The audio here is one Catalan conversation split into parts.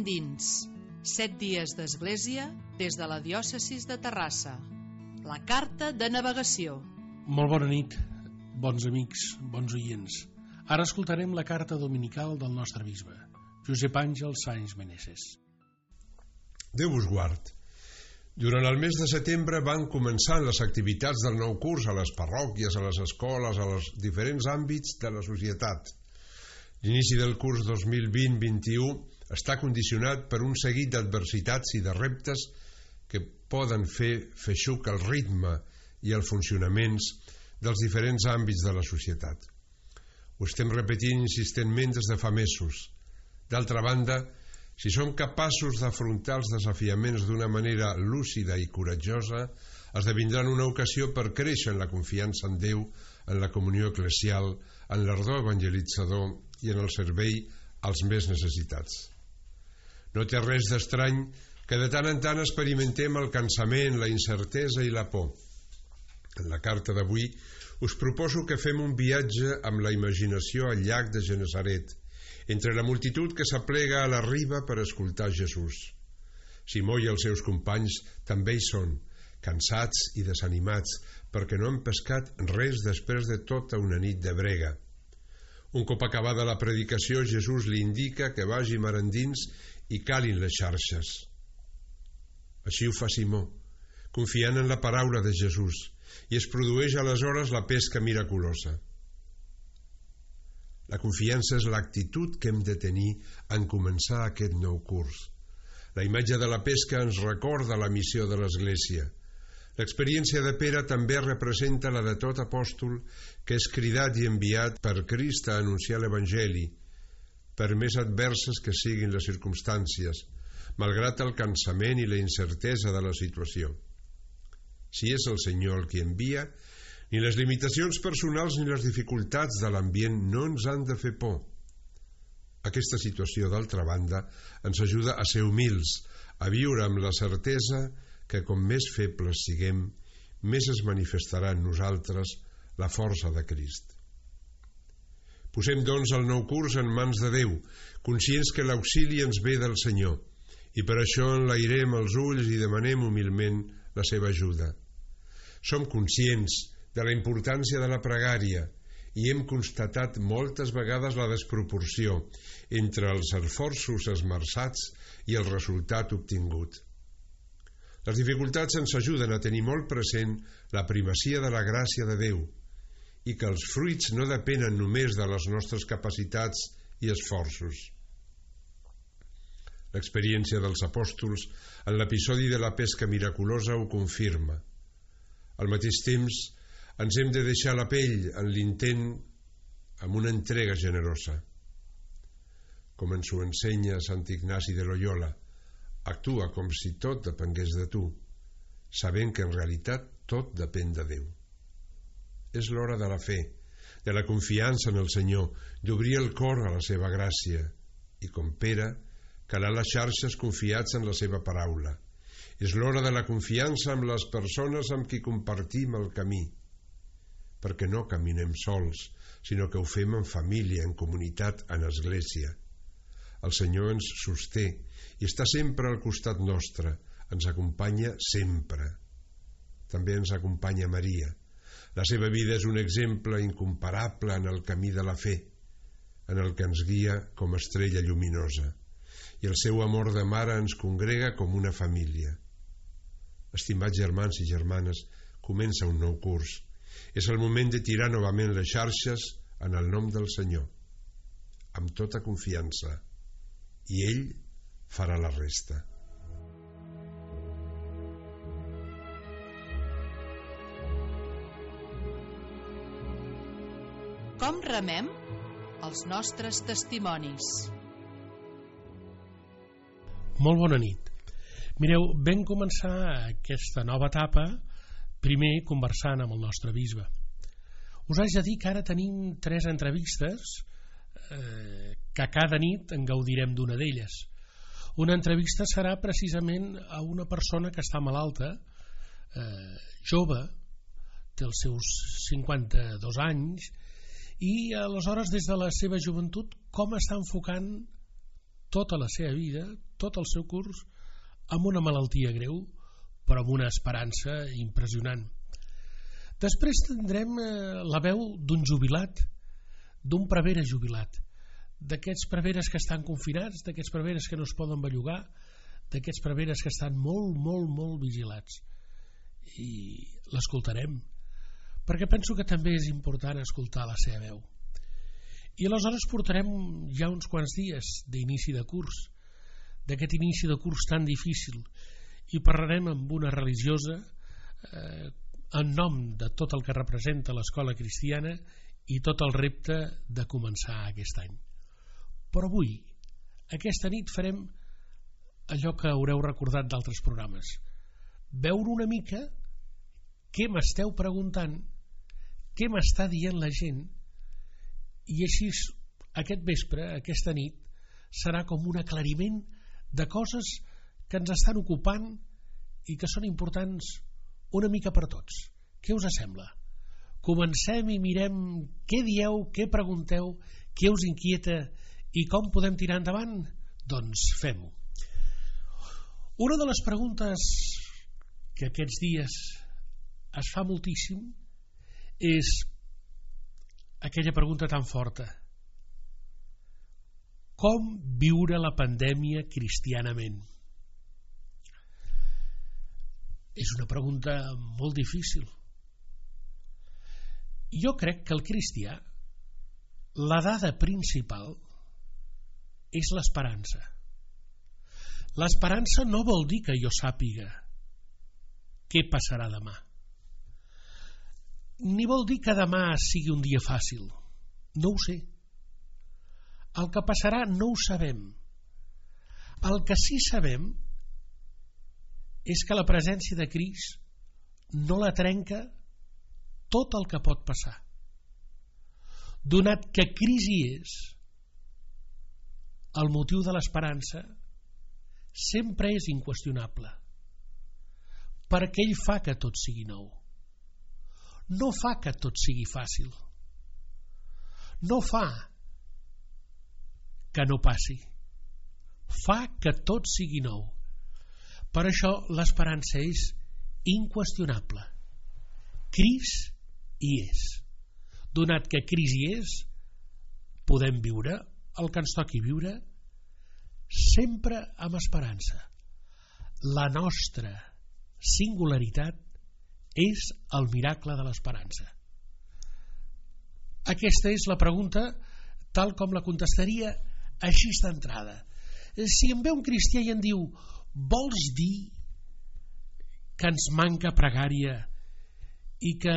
endins. 7 dies d'església des de la diòcesi de Terrassa. La carta de navegació. Molt bona nit, bons amics, bons oients. Ara escoltarem la carta dominical del nostre bisbe, Josep Àngel Sáenz Meneses. Déu us guard. Durant el mes de setembre van començar les activitats del nou curs a les parròquies, a les escoles, a els diferents àmbits de la societat. L'inici del curs 2020-21 està condicionat per un seguit d'adversitats i de reptes que poden fer feixuc el ritme i els funcionaments dels diferents àmbits de la societat. Ho estem repetint insistentment des de fa mesos. D'altra banda, si som capaços d'afrontar els desafiaments d'una manera lúcida i coratjosa, esdevindran una ocasió per créixer en la confiança en Déu, en la comunió eclesial, en l'ardor evangelitzador i en el servei als més necessitats. No té res d'estrany que de tant en tant experimentem el cansament, la incertesa i la por. En la carta d'avui us proposo que fem un viatge amb la imaginació al llac de Genesaret, entre la multitud que s'aplega a la riba per escoltar Jesús. Simó i els seus companys també hi són, cansats i desanimats, perquè no han pescat res després de tota una nit de brega. Un cop acabada la predicació, Jesús li indica que vagi mar endins i calin les xarxes. Així ho fa Simó, confiant en la paraula de Jesús, i es produeix aleshores la pesca miraculosa. La confiança és l'actitud que hem de tenir en començar aquest nou curs. La imatge de la pesca ens recorda la missió de l'Església. L'experiència de Pere també representa la de tot apòstol que és cridat i enviat per Crist a anunciar l'Evangeli, per més adverses que siguin les circumstàncies, malgrat el cansament i la incertesa de la situació. Si és el Senyor el qui envia, ni les limitacions personals ni les dificultats de l'ambient no ens han de fer por. Aquesta situació, d'altra banda, ens ajuda a ser humils, a viure amb la certesa que com més febles siguem, més es manifestarà en nosaltres la força de Crist. Posem, doncs, el nou curs en mans de Déu, conscients que l'auxili ens ve del Senyor, i per això enlairem els ulls i demanem humilment la seva ajuda. Som conscients de la importància de la pregària i hem constatat moltes vegades la desproporció entre els esforços esmerçats i el resultat obtingut. Les dificultats ens ajuden a tenir molt present la primacia de la gràcia de Déu i que els fruits no depenen només de les nostres capacitats i esforços. L'experiència dels apòstols en l'episodi de la pesca miraculosa ho confirma. Al mateix temps, ens hem de deixar la pell en l'intent amb una entrega generosa. Com ens ho ensenya Sant Ignasi de Loyola, actua com si tot depengués de tu, sabent que en realitat tot depèn de Déu. És l'hora de la fe, de la confiança en el Senyor, d'obrir el cor a la seva gràcia i, com Pere, calar les xarxes confiats en la seva paraula. És l'hora de la confiança amb les persones amb qui compartim el camí, perquè no caminem sols, sinó que ho fem en família, en comunitat, en església. El Senyor ens sosté i està sempre al costat nostre, ens acompanya sempre. També ens acompanya Maria. La seva vida és un exemple incomparable en el camí de la fe, en el que ens guia com estrella lluminosa, i el seu amor de mare ens congrega com una família. Estimats germans i germanes, comença un nou curs. És el moment de tirar novament les xarxes en el nom del Senyor, amb tota confiança, i ell farà la resta. Com remem? Els nostres testimonis. Molt bona nit. Mireu, vam començar aquesta nova etapa primer conversant amb el nostre bisbe. Us haig de dir que ara tenim 3 entrevistes que cada nit en gaudirem d'una d'elles. Una entrevista serà precisament a una persona que està malalta, jove, té els seus 52 anys, i aleshores des de la seva joventut com està enfocant tota la seva vida, tot el seu curs, amb una malaltia greu, però amb una esperança impressionant. Després tindrem la veu d'un jubilat, d'un prevere jubilat, d'aquests preveres que estan confinats, d'aquests preveres que no es poden bellugar, d'aquests preveres que estan molt vigilats. I l'escoltarem, perquè penso que també és important escoltar la seva veu. I aleshores portarem ja uns quants dies d'inici de curs, d'aquest inici de curs tan difícil, i parlarem amb una religiosa en nom de tot el que representa l'escola cristiana i tot el repte de començar aquest any. Però avui, aquesta nit, farem allò que haureu recordat d'altres programes: veure una mica què m'esteu preguntant, què m'està dient la gent, i així aquest vespre, aquesta nit, serà com un aclariment de coses que ens estan ocupant i que són importants una mica per tots. Què us sembla? Comencem i mirem què dieu, què pregunteu, què us inquieta i com podem tirar endavant? Doncs fem-ho. Una de les preguntes que aquests dies es fa moltíssim és aquella pregunta tan forta: com viure la pandèmia cristianament? És una pregunta molt difícil. Jo crec que el cristià, la dada principal és l'esperança. L'esperança no vol dir que jo sàpiga què passarà demà, ni vol dir que demà sigui un dia fàcil. No ho sé. El que passarà no ho sabem. El que sí sabem és que la presència de Crist no la trenca tot el que pot passar. Donat que Crist hi és, el motiu de l'esperança sempre és inqüestionable, perquè ell fa que tot sigui nou. No fa que tot sigui fàcil. No fa que no passi. Fa que tot sigui nou. Per això l'esperança és inqüestionable. Crist hi és. Donat que Crist hi és, podem viure el que ens toqui viure sempre amb esperança. La nostra singularitat és el miracle de l'esperança. Aquesta és la pregunta tal com la contestaria així d'entrada. Si em ve un cristià i em diu: vols dir que ens manca pregària i que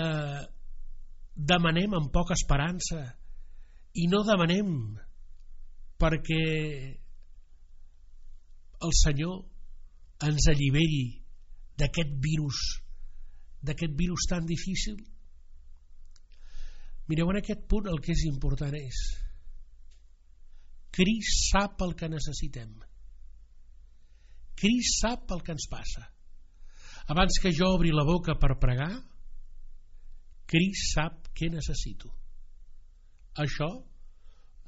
demanem amb poca esperança i no demanem perquè el Senyor ens alliberi d'aquest virus tan difícil? Mireu, en aquest punt el que és important és: Crist sap el que necessitem. Crist sap el que ens passa. Abans que jo obri la boca per pregar, Crist sap què necessito. Això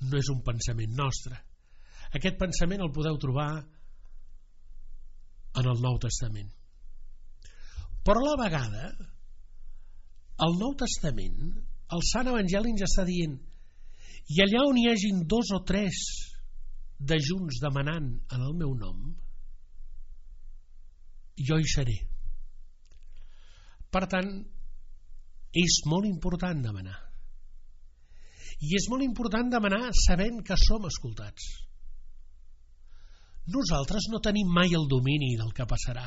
no és un pensament nostre. Aquest pensament el podeu trobar en el Nou Testament. Però a la vegada, el Nou Testament, el Sant Evangeli ens està dient: i allà on hi hagin 2 o 3 de junts demanant en el meu nom, jo hi seré. Per tant, és molt important demanar. I és molt important demanar sabent que som escoltats. Nosaltres no tenim mai el domini del que passarà.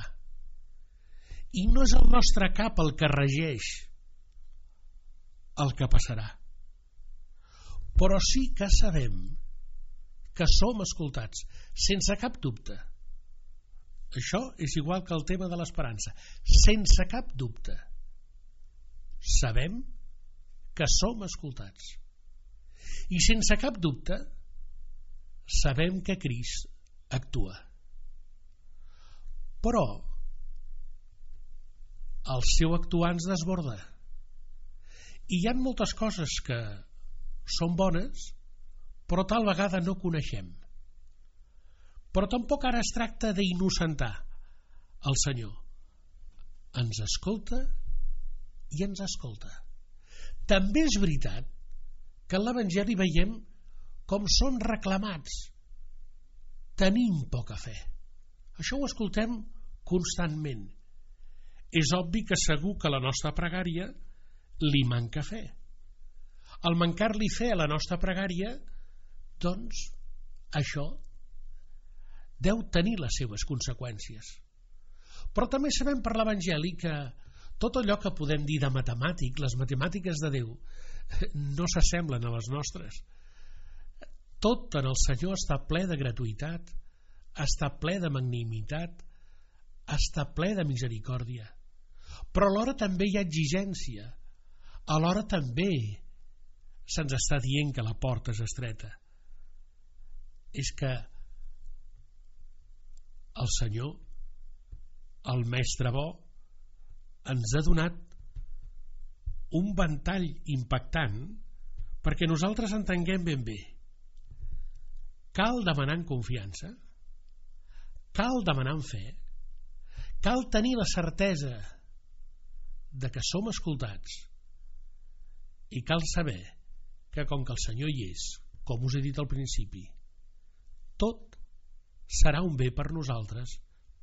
I no és el nostre cap el que regeix el que passarà. Però sí que sabem que som escoltats, sense cap dubte. Això és igual que el tema de l'esperança. Sense cap dubte. Sabem que som escoltats. I sense cap dubte sabem que Crist actua. Però el seu actuar ens desborda. I hi ha moltes coses que són bones, però tal vegada no coneixem. Però tampoc ara es tracta d'innocentar el Senyor. Ens escolta i ens escolta. També és veritat que en l'Evangeli veiem com són reclamats. Tenim poca fe. Això ho escoltem constantment. És obvi que segur que a la nostra pregària li manca fe. Al mancar-li fe a la nostra pregària, doncs, això deu tenir les seves conseqüències. Però també sabem per l'Evangeli que tot allò que podem dir de matemàtic, les matemàtiques de Déu, no s'assemblen a les nostres. Tot en el Senyor està ple de gratuïtat, està ple de magnanimitat, està ple de misericòrdia. Però alhora també hi ha exigència, alhora també se'ns està dient que la porta és estreta. És que el Senyor, el Mestre bo, ens ha donat un ventall impactant perquè nosaltres entenguem ben bé. Cal demanar en confiança, cal demanar en fe, cal tenir la certesa de que som escoltats i cal saber que com que el Senyor hi és, com us he dit al principi, tot serà un bé per nosaltres,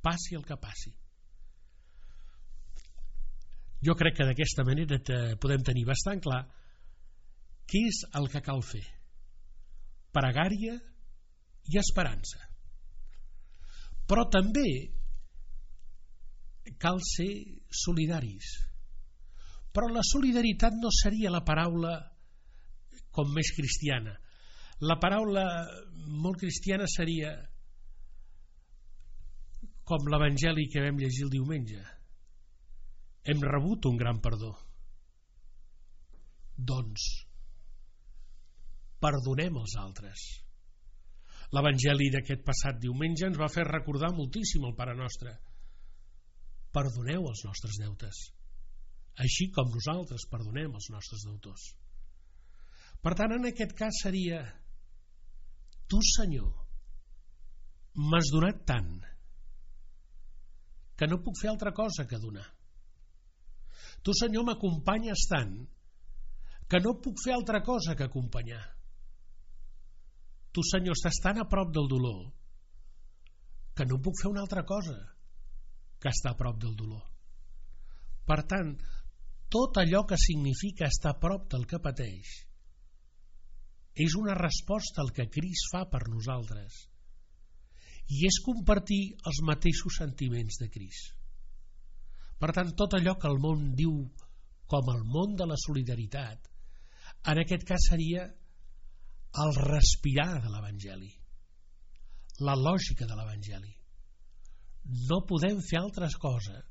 passi el que passi. Jo crec que d'aquesta manera podem tenir bastant clar què és el que cal fer. Pregària i esperança. Però també cal ser solidaris. Però la solidaritat no seria la paraula com més cristiana. La paraula molt cristiana seria com l'Evangeli que vam llegir el diumenge. Hem rebut un gran perdó. Doncs perdonem els altres. L'Evangeli d'aquest passat diumenge ens va fer recordar moltíssim el Pare Nostre. Perdoneu els nostres deutes, així com nosaltres perdonem els nostres deutors. Per tant, en aquest cas seria: tu, Senyor, m'has donat tant que no puc fer altra cosa que donar. Tu, Senyor, m'acompanyes tant que no puc fer altra cosa que acompanyar. Tu, Senyor, estàs tan a prop del dolor que no puc fer una altra cosa que estar a prop del dolor. Per tant, tot allò que significa estar a prop del que pateix és una resposta al que Crist fa per nosaltres i és compartir els mateixos sentiments de Crist. Per tant, tot allò que el món diu com el món de la solidaritat, en aquest cas seria el respirar de l'Evangeli, la lògica de l'Evangeli. No podem fer altra cosa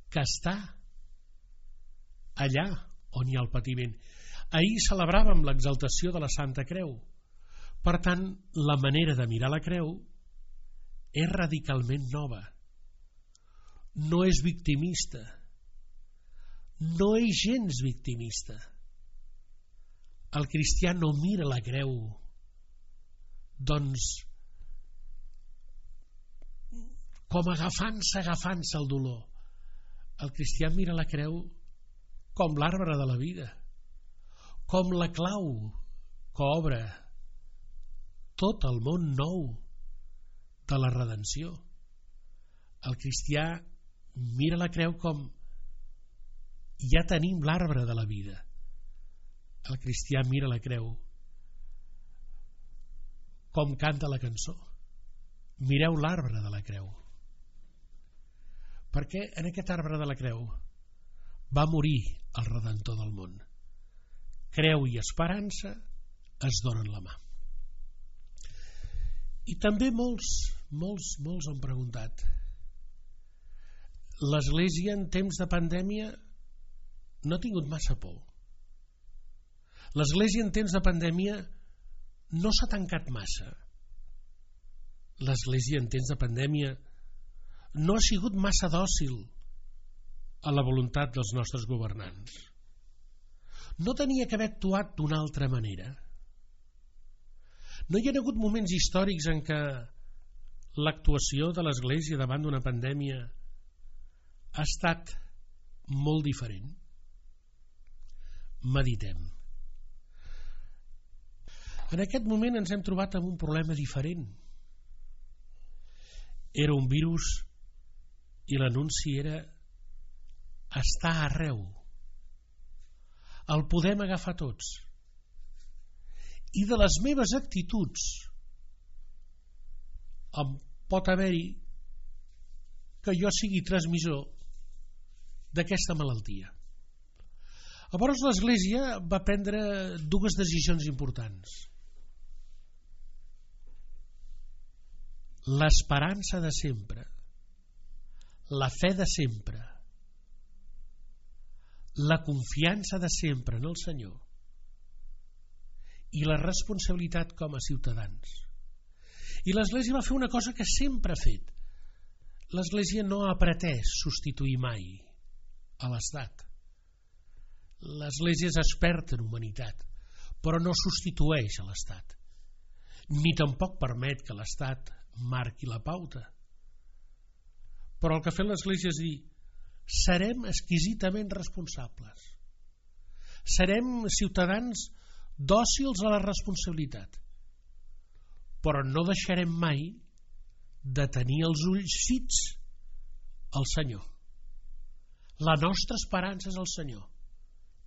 que estar allà on hi ha el patiment. Ahir celebràvem l'exaltació de la Santa Creu. Per tant, la manera de mirar la creu és radicalment nova. No és victimista, no és gens victimista. El cristià no mira la creu doncs com agafant-se al dolor. El cristià mira la creu com l'arbre de la vida, com la clau que obre tot el món nou de la redenció. El cristià mira la creu com ja tenim l'arbre de la vida. El cristià mira la creu com canta la cançó. Mireu l'arbre de la creu. Perquè en aquest arbre de la creu va morir el Redentor del món. Creu i esperança es donen la mà. I també molts han preguntat: l'Església en temps de pandèmia no ha tingut massa por. L'Església en temps de pandèmia no s'ha tancat massa. L'Església en temps de pandèmia no ha sigut massa dòcil a la voluntat dels nostres governants. No tenia que haver actuat d'una altra manera. No hi ha hagut moments històrics en què l'actuació de l'Església davant d'una pandèmia ha estat molt diferent? Meditem. En aquest moment ens hem trobat amb un problema diferent. Era un virus i l'anunci era estar arreu. El podem agafar tots. I de les meves actituds em pot haver-hi que jo sigui transmissor d'aquesta malaltia. Llavors l'Església va prendre dues decisions importants. L'esperança de sempre, la fe de sempre, la confiança de sempre en el Senyor i la responsabilitat com a ciutadans. I l'Església va fer una cosa que sempre ha fet. L'Església no ha pretès substituir mai a l'Estat. L'Església és experta en humanitat, però no substitueix a l'Estat, ni tampoc permet que l'Estat marqui la pauta. Però el que ha fet l'Església és dir: serem exquisidament responsables, serem ciutadans dòcils a la responsabilitat, però no deixarem mai de tenir els ulls fits al Senyor. La nostra esperança és el Senyor,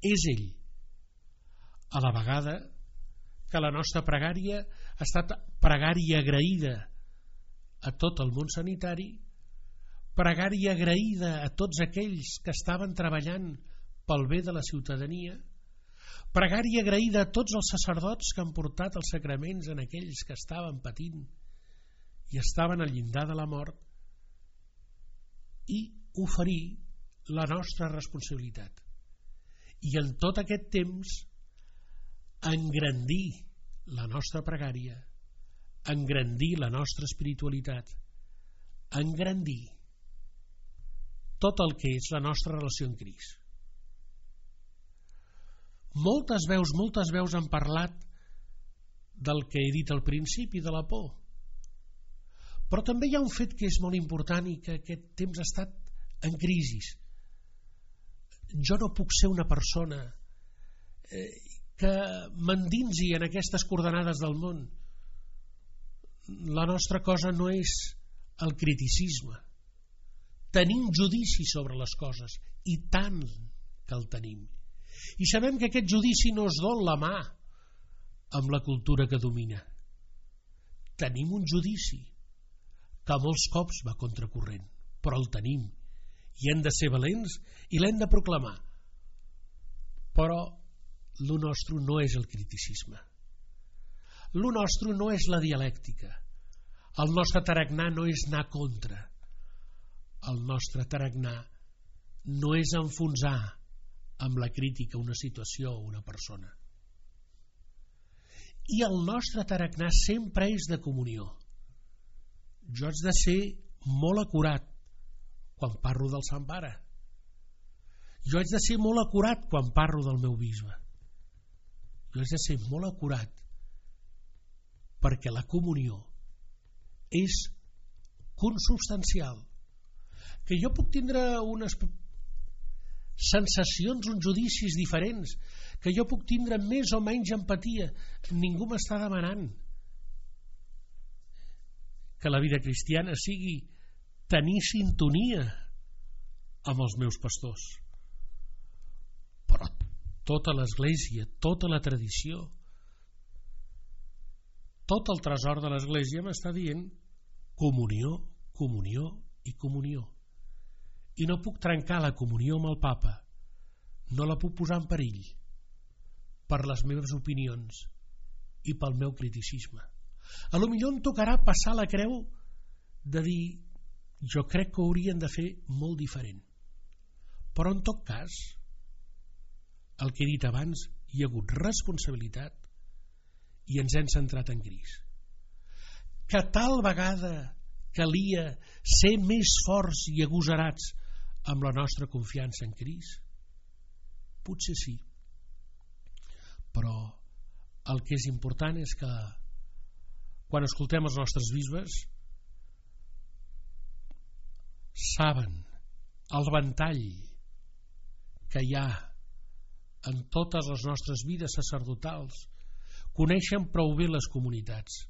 és ell. A la vegada que la nostra pregària ha estat pregària agraïda a tot el món sanitari, pregària agraïda a tots aquells que estaven treballant pel bé de la ciutadania, pregària agraïda a tots els sacerdots que han portat els sacraments en aquells que estaven patint i estaven al llindar de la mort, i oferir la nostra responsabilitat. I en tot aquest temps engrandir la nostra pregària, engrandir la nostra espiritualitat, engrandir tot el que és la nostra relació amb Crist. Moltes veus han parlat del que he dit al principi, de la por. Però també hi ha un fet que és molt important i que aquest temps ha estat en crisi. Jo no puc ser una persona que m'endinsi en aquestes coordenades del món. La nostra cosa no és el criticisme. Tenim judici sobre les coses, i tant que el tenim. I sabem que aquest judici no es dol la mà amb la cultura que domina. Tenim un judici que molts cops va contracorrent, però el tenim, i hem de ser valents i l'hem de proclamar. Però lo nostre no és el criticisme, lo nostre no és la dialèctica, el nostre tarannà no és anar contra, el nostre tarannà no és enfonsar amb la crítica una situació o una persona. I el nostre tarannà sempre és de comunió. Jo haig de ser molt acurat quan parlo del Sant Pare. Jo haig de ser molt acurat quan parlo del meu bisbe. Jo haig de ser molt acurat perquè la comunió és consubstancial. Que jo puc tindre unes sensacions, uns judicis diferents, que jo puc tindre més o menys empatia. Ningú m'està demanant que la vida cristiana sigui tenir sintonia amb els meus pastors. Però tota l'Església, tota la tradició, tot el tresor de l'Església m'està dient comunió, comunió i comunió. I no puc trencar la comunió amb el Papa, no la puc posar en perill per les meves opinions i pel meu criticisme. A lo millor em tocarà passar la creu de dir jo crec que ho haurien de fer molt diferent, però en tot cas el que he dit abans, hi ha hagut responsabilitat i ens hem centrat en Crist. Que tal vegada calia ser més forts i agosarats amb la nostra confiança en Crist? Potser sí, però el que és important és que quan escoltem els nostres bisbes saben el ventall que hi ha en totes les nostres vides sacerdotals, coneixen prou bé les comunitats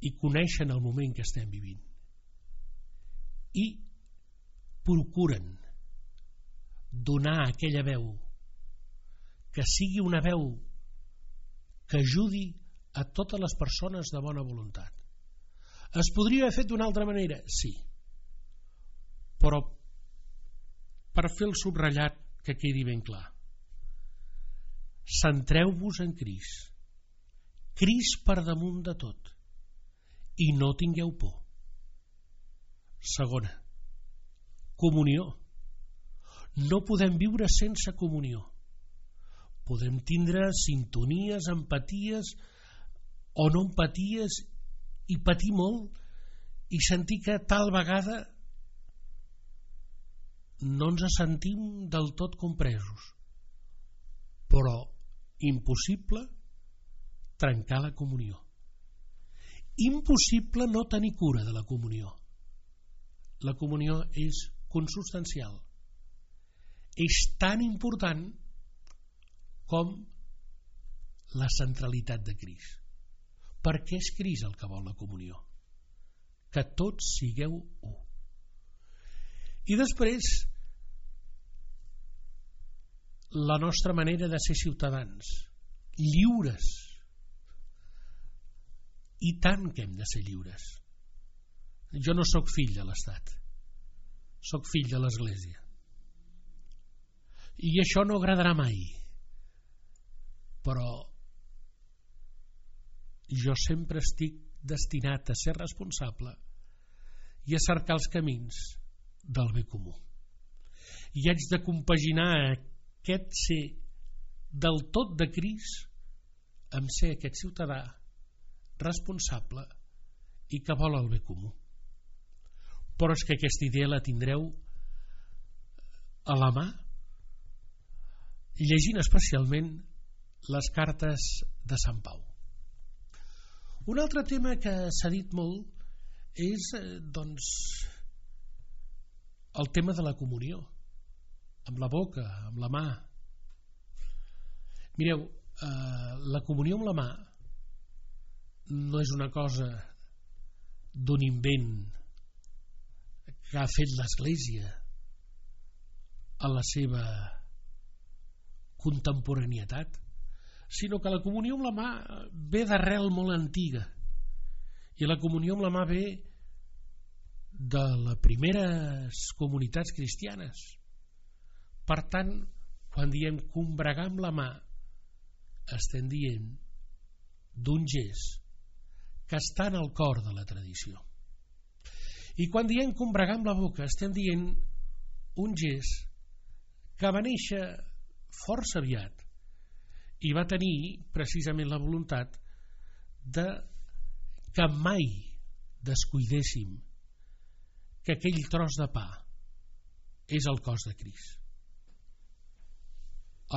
i coneixen el moment que estem vivint i procuren donar aquella veu que sigui una veu que ajudi a totes les persones de bona voluntat. Es podria haver fet d'una altra manera? Sí, però per fer el subratllat que quedi ben clar, centreu-vos en Crist, Crist per damunt de tot, i no tingueu por. Segona, comunió. No podem viure sense comunió. Podem tindre sintonies, empaties o no empaties i patir molt i sentir que tal vegada no ens sentim del tot compresos, però impossible trencar la comunió, impossible no tenir cura de la comunió. La comunió és consubstancial, és tan important com la centralitat de Crist. Per què és Crist el que vol la comunió? Que tots sigueu u. I després, la nostra manera de ser ciutadans, lliures. I tant que hem de ser lliures. Jo no sóc fill de l'Estat, sóc fill de l'Església. I això no agradarà mai, però jo sempre estic destinat a ser responsable i a cercar els camins del bé comú. I haig de compaginar aquest ser del tot de Crist amb ser aquest ciutadà responsable i que vol el bé comú. Però és que aquesta idea la tindreu a la mà llegint especialment les cartes de Sant Pau. Un altre tema que s'ha dit molt és doncs el tema de la comunió, amb la boca, amb la mà. Mireu, la comunió amb la mà no és una cosa d'un invent que ha fet l'Església a la seva contemporanietat, sinó que la comunió amb la mà ve d'arrel molt antiga, i la comunió amb la mà ve de les primeres comunitats cristianes. Per tant, quan diem combregar amb la mà, estem dient d'un gest que està en el cor de la tradició. I quan diem combregar amb la boca, estem dient un gest que va néixer força aviat i va tenir precisament la voluntat de que mai descuidéssim que aquell tros de pa és el cos de Crist.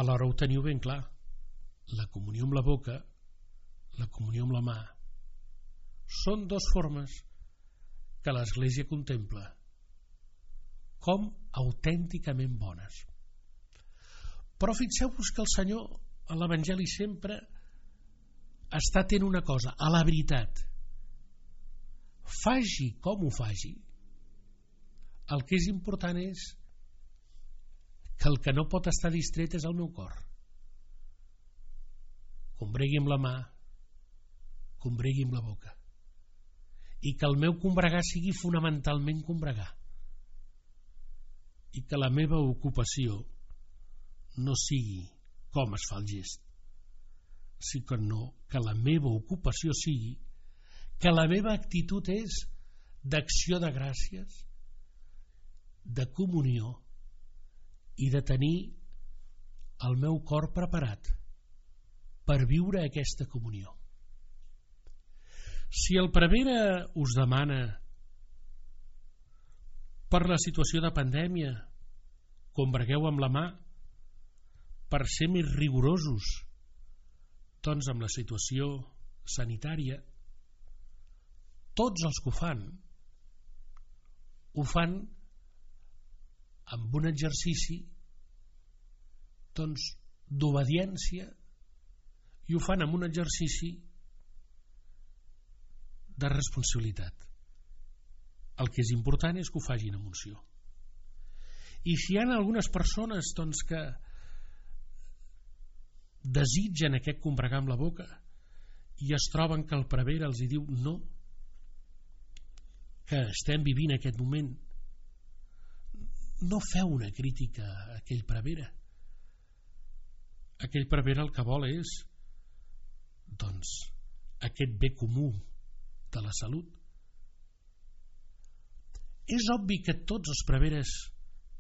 Alhora ho teniu ben clar, la comunió amb la boca, la comunió amb la mà, són dues formes que l'Església contempla com autènticament bones. Però fixeu-vos que el Senyor a l'Evangeli sempre està tenint una cosa, a la veritat. Faci com ho faci, el que és important és que el que no pot estar distret és el meu cor. Combregui amb la mà, combregui amb la boca, i que el meu combregar sigui fonamentalment combregar, i que la meva ocupació no sigui com es fa el gest, sinó que la meva ocupació sigui que la meva actitud és d'acció de gràcies, de comunió i de tenir el meu cor preparat per viure aquesta comunió. Si el prevere us demana per la situació de pandèmia combregueu amb la mà per ser més rigorosos doncs amb la situació sanitària, tots els que ho fan ho fan amb un exercici doncs d'obediència, i ho fan amb un exercici de responsabilitat. El que és important és que ho facin amb unció. I si hi ha algunes persones doncs, que desitgen aquest combregar amb la boca i es troben que el prevere els hi diu no, que estem vivint aquest moment, no feu una crítica a aquell prevere. Aquell prevere el que vol és doncs aquest bé comú de la salut. És obvi que tots els preveres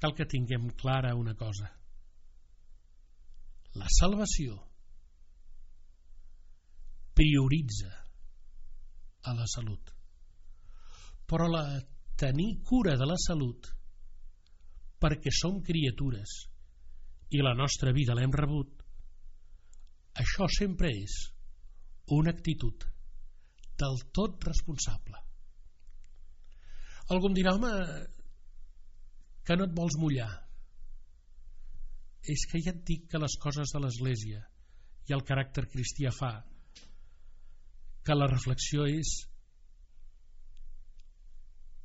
cal que tinguem clara una cosa: la salvació prioritza a la salut, però tenir cura de la salut, perquè som criatures i la nostra vida l'hem rebut, això sempre és una actitud del tot responsable. Algú em dirà: home, que no et vols mullar. És que ja et dic que les coses de l'Església i el caràcter cristià fa que la reflexió és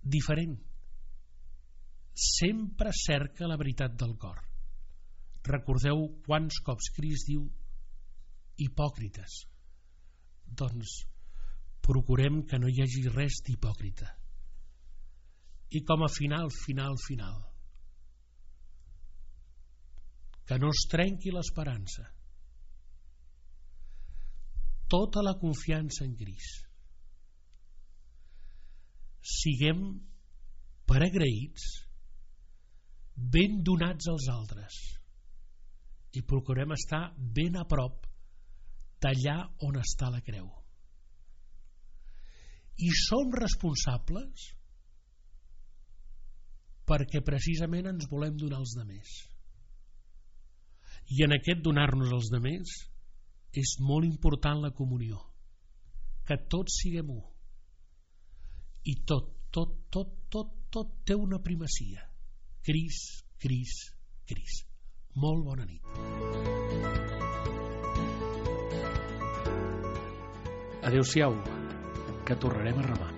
diferent. Sempre cerca la veritat del cor. Recordeu quants cops Crist diu hipòcrites. Doncs procurem que no hi hagi res d'hipòcrita. I com a final, que no es trenqui l'esperança, tota la confiança en Crist. Siguem per agraïts, ben donats als altres, i procurem estar ben a prop d'allà on està la creu. I som responsables perquè precisament ens volem donar als demés. I en aquest donar-nos als demés és molt important la comunió, que tots siguem u, i tot té una primacia: Crist, Crist, Crist. Molt bona nit. Adéu-siau, que tornarem a remar.